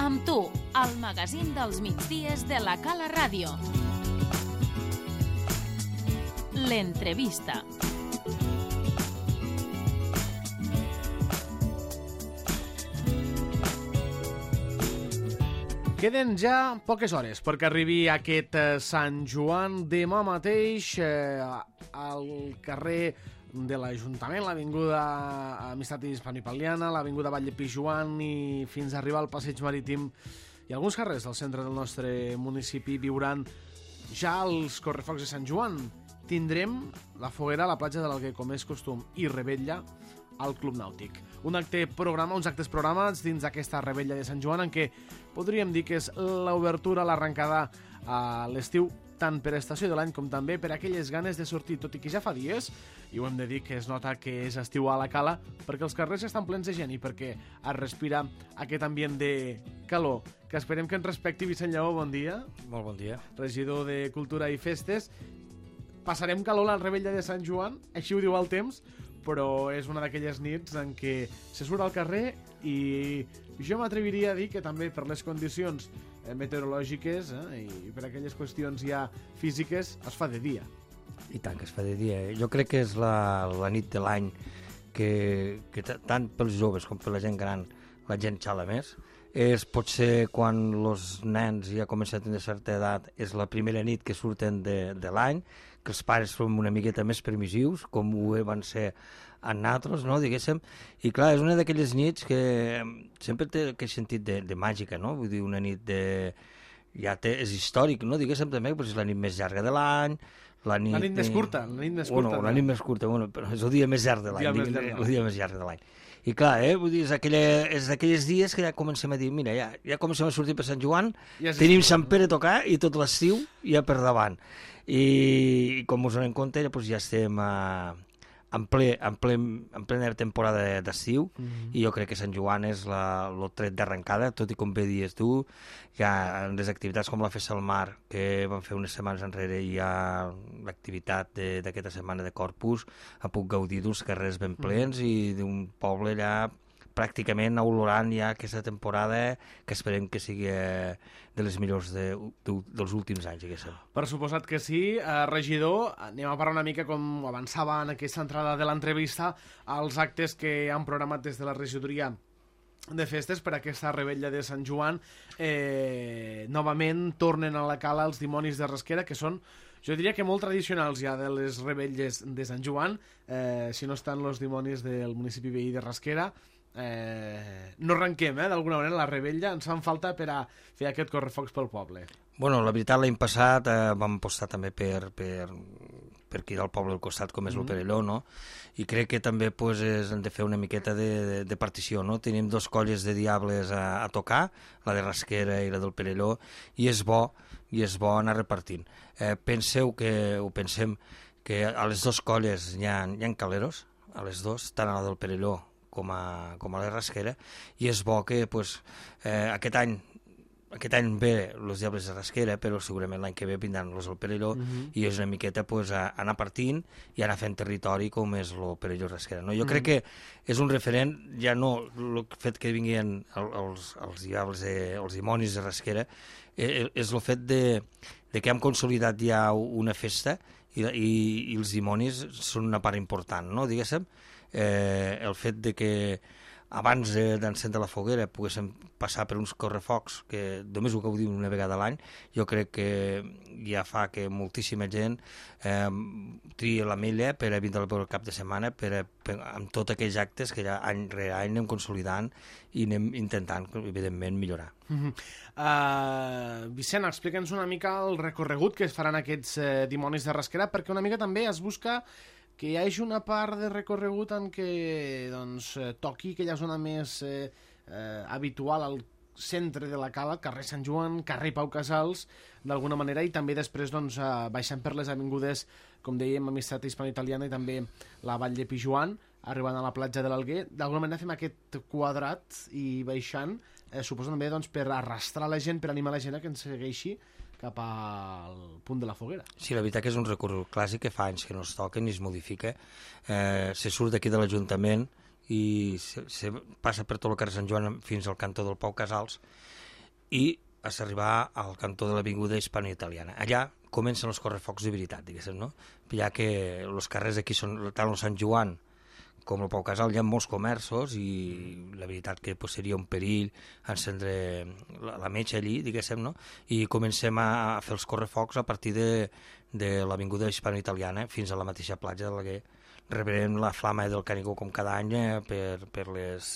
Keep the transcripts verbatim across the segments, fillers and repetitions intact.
Amb tu, el magazín dels migdies de la Cala Ràdio. L'entrevista. Queden ja poques hores perquè arribi aquest eh, Sant Joan. Demà mateix eh, al carrer de l'Ajuntament, l'avinguda Amistat Hispano-Italiana, l'avinguda Vall de Pijuan i fins a arribar al Passeig Marítim i alguns carrers del centre del nostre municipi viuran ja els correfocs de Sant Joan. Tindrem la foguera a la platja de l'Alguer, com és costum, i revetlla al Club Nàutic. Un acte programa, uns actes programats dins d'aquesta revetlla de Sant Joan en què podríem dir que és l'obertura, l'arrencada a l'estiu, tant per estació de l'any com també per aquelles ganes de sortir, tot i que ja fa dies, i ho hem de dir que es nota que és estiu a la Cala, perquè els carrers estan plens de gent i perquè es respira aquest ambient de calor, que esperem que ens respecti. Vicent Lleó, bon dia. Molt bon dia. Regidor de Cultura i Festes. Passarem calor a la revetlla de Sant Joan, així ho diu el temps, però és una d'aquelles nits en què se surt al carrer i jo m'atreviria a dir que també per les condicions meteorològiques eh, i per aquelles qüestions ja físiques es fa de dia. I tant que es fa de dia. Jo crec que és la, la nit de l'any que, que tant pels joves com per la gent gran la gent xala més. És potser quan els nens ja comencen a tenir certa edat, és la primera nit que surten de, de l'any, que els pares són una miqueta més permissius, com ho van ser en nosaltres, no, diguéssim. I clar, és una d'aquelles nits que sempre té aquest sentit de, de màgica, no? Vull dir, una nit de... ja té, és històric, no? Diguéssim també, però és la nit més llarga de l'any, la nit... La nit més curta, la nit més curta. Bueno, la nit més curta, bueno, però és el dia més llarg de l'any, el dia més llarg de l'any. I clar, eh, vull dir, és, aquella, és d'aquells dies que ja comencem a dir, mira, ja, ja comencem a sortir per Sant Joan, ja tenim Sant Pere a tocar i tot l'estiu ja per davant. I, i com us donem compte, ja, doncs ja estem a, en, ple, en, ple, en plena temporada d'estiu, mm-hmm. i jo crec que Sant Joan és la, el tret d'arrencada, tot i com bé dies tu, ja en les activitats com la Festa al Mar, que vam fer unes setmanes enrere, i hi ha l'activitat d'aquesta setmana de Corpus, ha puc gaudir d'uns carrers ben plens mm-hmm. i d'un poble allà pràcticament olorant ja aquesta temporada, que esperem que sigui de les millors de, de, dels últims anys, diguéssim. Per suposat que sí. Eh, regidor, anem a parlar una mica, com avançava en aquesta entrada de l'entrevista, als actes que han programat des de la regidoria de festes per aquesta revetlla de Sant Joan. Eh, novament tornen a la Cala els dimonis de Rasquera, que són, jo diria que molt tradicionals ja de les revetlles de Sant Joan, eh, si no estan els dimonis del municipi veí de Rasquera. Eh, no arrenquem, eh, d'alguna manera, la revetlla. Ens fan falta per a fer aquest correfocs pel poble. Bueno, la veritat, l'any passat eh, vam apostar també per, per, per aquí del poble al costat, com és mm-hmm. el Perelló, no? I crec que també pues, és, hem de fer una miqueta de, de, de partició, no? Tenim dos colles de diables a, a tocar, la de Rasquera i la del Perelló, i és bo, i és bo anar repartint. Eh, penseu que, o pensem que a les dues colles hi ha, hi ha caleros, a les dues, tant a la del Perelló com a, com a la Rasquera, i és bo que pues, eh, aquest any aquest any ve els diables de Rasquera, però segurament l'any que ve vindran els del Perelló, uh-huh. i és una miqueta pues, a, a anar partint i anar fent territori com és el Perelló Rasquera. No? Jo uh-huh. crec que és un referent, ja no el fet que vinguin el, els, els diables, de, els dimonis de Rasquera, eh, és el fet de, de que hem consolidat ja una festa i, i, i els dimonis són una part important, no? Diguéssim, eh, el fet de que abans d'encendre la foguera poguéssim passar per uns correfocs que només ho gaudim una vegada a l'any, jo crec que ja fa que moltíssima gent eh, tria la mella per a vindre al cap de setmana per a, per, amb tots aquells actes que ja any rere any anem consolidant i anem intentant, evidentment, millorar. Uh-huh. uh, Vicent, explica'ns una mica el recorregut que es faran aquests eh, dimonis de Rasquera, perquè una mica també es busca que hi hagi una part de recorregut en què doncs, toqui aquella zona més eh, eh, habitual al centre de la Cala, carrer Sant Joan, carrer Pau Casals, d'alguna manera, i també després doncs, eh, baixant per les avingudes, com dèiem, Amistat Hispano-Italiana i també la Vall de Pijuan, arribant a la platja de l'Alguer. D'alguna manera fem aquest quadrat i baixant, eh, suposo també doncs, per arrastrar la gent, per animar la gent a que ens segueixi cap al punt de la foguera. Sí, la veritat que és un recorregut clàssic que fa anys que no es toca ni es modifica. Eh, se surt d'aquí de l'Ajuntament i se, se passa per tot el carrer Sant Joan fins al cantó del Pau Casals i has d'arribar al cantó de l'avinguda hispano-italiana. Allà comencen els correfocs de veritat, diguéssim, no? Ja que els carrers aquí són tant el Sant Joan com el Pau Casal, hi ha molts comerços i la veritat que pues, seria un perill encendre la, la metxa allí, diguéssim, no? I comencem a, a fer els correfocs a partir de, de l'avinguda hispano-italiana fins a la mateixa platja de l'Alguer. Rebrem la flama del Canigó com cada any eh, per, per, les,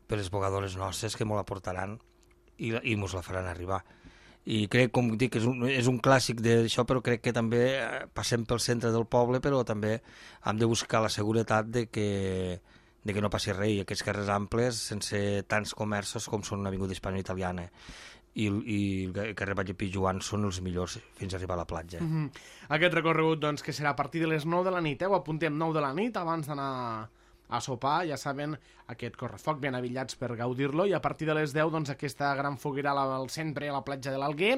per les bogadores nostres que m'ho la portaran i, i mos la faran arribar. I crec, com dic, és un, és un clàssic d'això, però crec que també passem pel centre del poble, però també hem de buscar la seguretat de que, de que no passi res, i aquests carrers amples, sense tants comerços com són una avinguda hispano-italiana i, i el carrer Batlle Pijuan són els millors fins a arribar a la platja. Mm-hmm. Aquest recorregut, doncs, que serà a partir de les nou de la nit, eh? Ho apuntem nou de la nit, abans d'anar a sopar, ja saben, aquest correfoc ben avillats per gaudir-lo, i a partir de les deu, doncs, aquesta gran foguera al centre, a la platja de l'Alguer,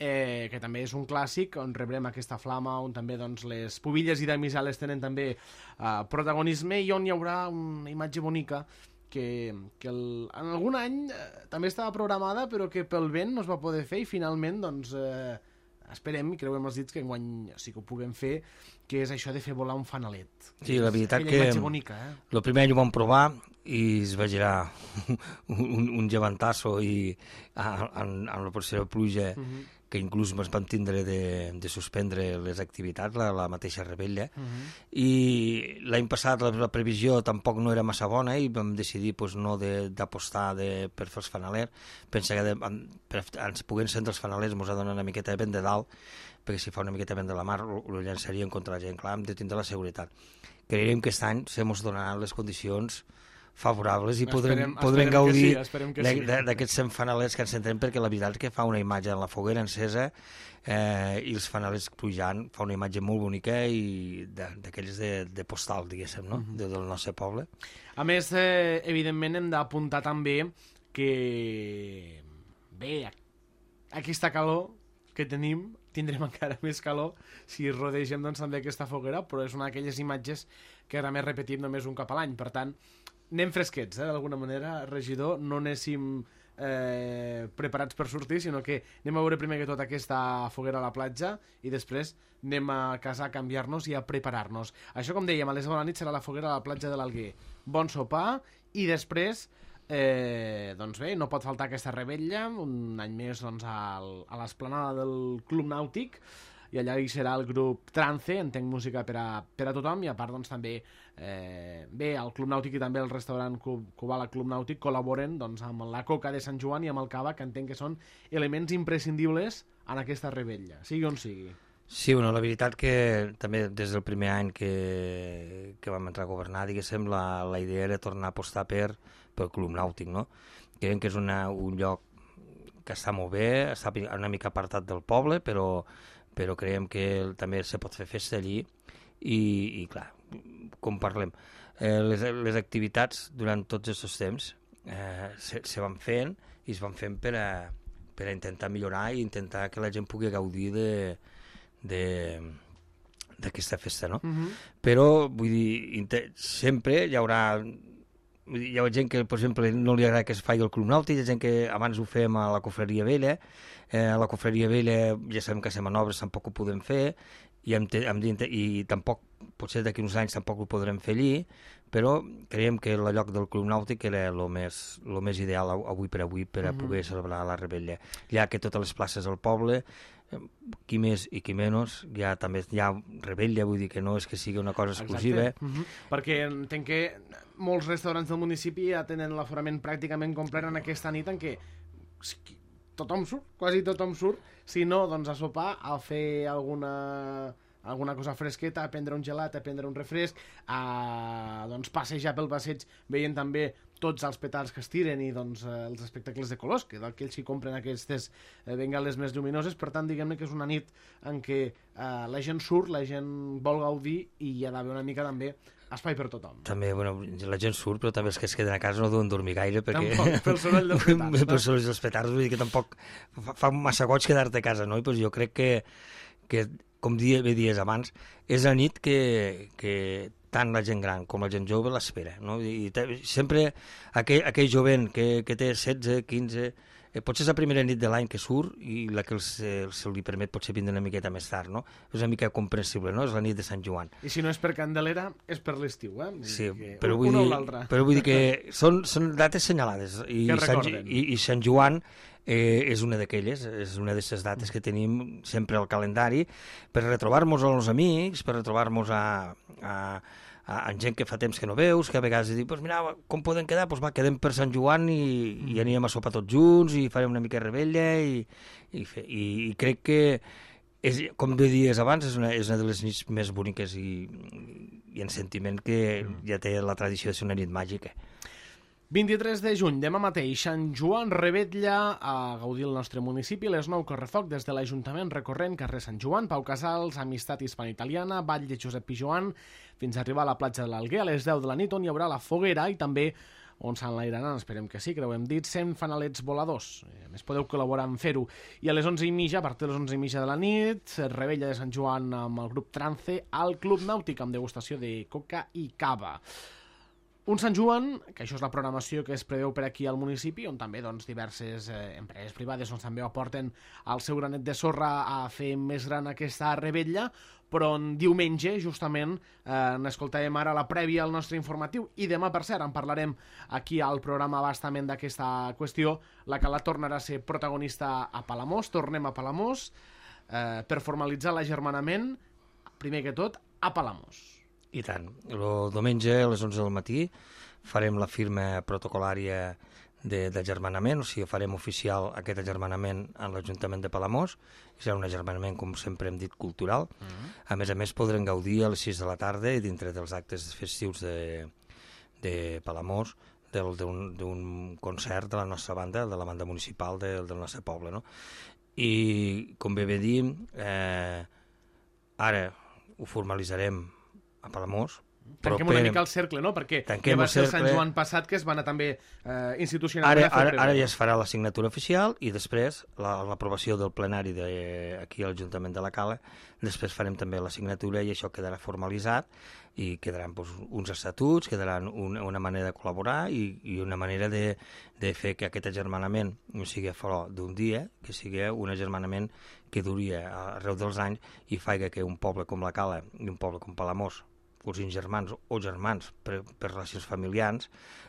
eh, que també és un clàssic, on rebrem aquesta flama, on també doncs, les pubilles i damisales tenen també eh, protagonisme, i on hi haurà una imatge bonica que, que el, en algun any eh, també estava programada, però que pel vent no es va poder fer, i finalment, doncs, eh, esperem i creuem els dits que enguany sí que ho puguem fer, que és això de fer volar un fanalet. Sí, la veritat que bonica, eh? el primer any ho vam provar i es va girar un, un llevantasso i amb la possible pluja uh-huh. que inclús ens vam tindre de, de suspendre les activitats, la, la mateixa rebella, uh-huh. i l'any passat la, la previsió tampoc no era massa bona i vam decidir pues, no d'apostar de, de, per fer els fanalers. Pensa que de, per ens puguen encendre els fanalers ens ha donat una miqueta de vent de dalt, perquè si fa una miqueta vent de la mar ho llançaríem contra la gent. Clar, hem de tindre la seguretat. Creiem que aquest any se mos donaran les condicions favorables i podrem, esperem, podrem esperem gaudir sí, d'aquests sí. fanalers que ens centrem, perquè la veritat és que fa una imatge en la foguera encesa eh, i els fanalers pujant, fa una imatge molt bonica i d'aquells de, de postal, diguéssim, no? Mm-hmm. de, del nostre poble. A més, eh, evidentment hem d'apuntar també que bé, aquesta calor que tenim, tindrem encara més calor si rodegem doncs, també aquesta foguera, però és una d'aquelles imatges que ara més repetim només un cap a l'any, per tant anem fresquets, eh, d'alguna manera, regidor, no anéssim eh, preparats per sortir, sinó que anem a veure primer que tot aquesta foguera a la platja i després anem a casa a canviar-nos i a preparar-nos. Això, com dèiem, a les deu de la nit serà la foguera a la platja de l'Alguer. Bon sopar i després, eh, doncs bé, no pot faltar aquesta rebella, un any més doncs, al, a l'esplanada del Club Nàutic, i allà hi serà el grup Trance, entenc música per a, per a tothom, i a part doncs, també eh, bé, el Club Nàutic i també el restaurant Kubala Club Nàutic col·laboren doncs, amb la Coca de Sant Joan i amb el Cava, que entenc que són elements imprescindibles en aquesta rebella, sigui on sigui. Sí, bueno, la veritat que també des del primer any que, que vam entrar a governar, diguéssim, la, la idea era tornar a apostar per, pel Club Nàutic, no? Creiem que és una, un lloc que està molt bé, està una mica apartat del poble, però però creiem que també se pot fer festa allí i, i clar, com parlem, eh, les, les activitats durant tots aquests temps eh, se, se van fent i es van fent per a, per a intentar millorar i intentar que la gent pugui gaudir de, de, d'aquesta festa, no? Uh-huh. Però, vull dir, sempre hi haurà hi ha gent que, per exemple, no li agrada que es faci el Club Nàutic, hi ha gent que abans ho fem a la Cofreria Vella, eh, a la Cofreria Vella ja sabem que les manobres tampoc ho podem fer, i, hem te, hem i tampoc, potser d'aquí uns anys tampoc ho podrem fer allí, però creiem que el lloc del Club Nàutic era el més, lo més ideal avui per avui per a mm-hmm. poder celebrar la rebella, ja que totes les places del poble, qui més i qui menys, ja també hi ha rebella, vull dir que no és que sigui una cosa exclusiva. Mm-hmm. Perquè entenc que molts restaurants del municipi ja tenen l'aforament pràcticament complet en aquesta nit en què tothom surt, quasi tothom surt, si no, doncs a sopar, a fer alguna, alguna cosa fresqueta, a prendre un gelat, a prendre un refresc, a doncs, passejar pel passeig veient també tots els petards que es tiren i doncs, eh, els espectacles de colors, que d'aquells que compren aquestes eh, bengales més lluminoses. Per tant, diguem-ne que és una nit en què eh, la gent surt, la gent vol gaudir i hi ha d'haver una mica també espai per tothom. També, bueno, la gent surt, però també els que es queden a casa no deuen dormir gaire, perquè... Tampoc, pel soroll dels petards. No? Pel soroll dels petards, vull dir que tampoc fa, fa massa goig quedar-te a casa, no? I pues jo crec que, que com dia, bé dies abans, és la nit que, que tant la gent gran com la gent jove l'espera, no? I te, sempre aquell, aquell jovent que, que té setze, quinze, eh, potser és la primera nit de l'any que surt i la que se, se li permet potser vindre una miqueta més tard, no? És una mica comprensible, no? És la nit de Sant Joan. I si no és per Candelera, és per l'estiu, eh? Sí, que però vull, dir, però vull dir que són, són dates senyalades i, Sant, i, i Sant Joan eh, és una d'aquelles, és una de les dates que tenim sempre al calendari per retrobar-nos amb els amics, per retrobar-nos a, a, a, a gent que fa temps que no veus, que a vegades dius, pues mira, com podem quedar? Pues va, quedem per Sant Joan i, i anirem a sopar tots junts i farem una mica de rebella i, i, fe, i, i crec que és, com bé dies abans, és una, és una de les nits més boniques i, i en sentiment que ja té la tradició de ser una nit màgica. vint-i-tres de juny, demà mateix, Sant Joan Revetlla a gaudir el nostre municipi, les nou correfoc des de l'Ajuntament recorrent carrer Sant Joan, Pau Casals, Amistat Hispano-Italiana, Vall de Josep Pijoan, fins a arribar a la platja de l'Alguer a les deu de la nit, on hi haurà la foguera i també on s'enlairaran, esperem que sí, que ho hem dit, cent fanalets voladors. A més, podeu col·laborar en fer-ho. I a les onze i mitja, a partir de les onze i mitja de la nit, Rebella de Sant Joan amb el grup Trance al Club Nàutic, amb degustació de coca i cava. Un Sant Joan, que això és la programació que es preveu per aquí al municipi, on també doncs, diverses eh, empreses privades doncs, també aporten el seu granet de sorra a fer més gran aquesta rebella, però en diumenge, justament, eh, n'escoltàvem ara la prèvia al nostre informatiu, i demà, per cert, en parlarem aquí al programa bastament d'aquesta qüestió, la que la tornarà a ser protagonista a Palamós. Tornem a Palamós eh, per formalitzar l'agermanament, primer que tot, a Palamós. I tant. El diumenge a les onze del matí farem la firma protocolària d'agermanament, o sigui, farem oficial aquest agermanament en l'Ajuntament de Palamós. Serà un agermanament, com sempre hem dit, cultural. Uh-huh. A més a més, podrem gaudir a les sis de la tarda i dintre dels actes festius de, de Palamós d'un concert de la nostra banda, de la banda municipal de, del nostre poble, no? I, com bé bé dir, eh, ara ho formalitzarem a Palamós. Tanquem una mica el cercle, no? Perquè ja va ser el Sant Joan passat que es va anar també eh, institucionalment ara, a fer ara, ara ja es farà la signatura oficial i després l'aprovació del plenari de, aquí a l'Ajuntament de la Cala, després farem també la signatura i això quedarà formalitzat i quedaran doncs, uns estatuts, quedaran un, una manera de col·laborar i, i una manera de, de fer que aquest agermanament no sigui fora d'un dia, que sigui un agermanament que duri arreu dels anys i faci que un poble com la Cala i un poble com Palamós, cosins germans o germans per, per relacions familiars,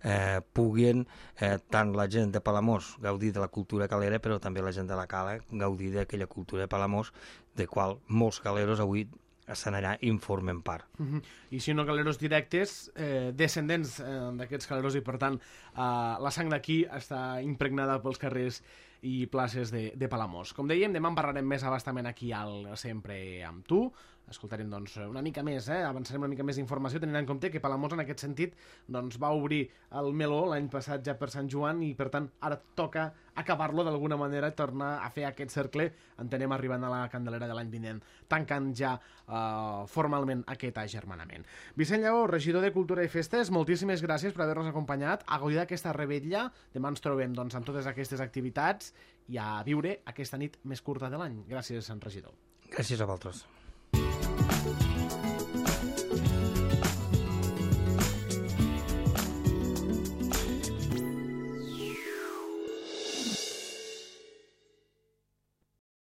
eh, puguin eh, tant la gent de Palamós gaudir de la cultura calera, però també la gent de la Cala gaudir d'aquella cultura de Palamós, de qual molts caleros avui estan allà i en formen part. Uh-huh. I si no caleros directes, eh, descendents eh, d'aquests caleros i per tant eh, la sang d'aquí està impregnada pels carrers i places de, de Palamós. Com dèiem, demà en parlarem més abastament aquí al Sempre amb tu. Escoltarem doncs, una mica més, eh? avançarem una mica més d'informació, tenint en compte que Palamós en aquest sentit doncs, va obrir el meló l'any passat ja per Sant Joan i per tant ara toca acabar-lo d'alguna manera, tornar a fer aquest cercle, entenem arribant a la Candelera de l'any vinent, tancant ja eh, formalment aquest agermanament. Vicent Lleó, regidor de Cultura i Festes, moltíssimes gràcies per haver-nos acompanyat a gaudir d'aquesta rebella. Demà ens trobem doncs, amb totes aquestes activitats i a viure aquesta nit més curta de l'any. Gràcies, regidor. Gràcies a vosaltres. Thank you.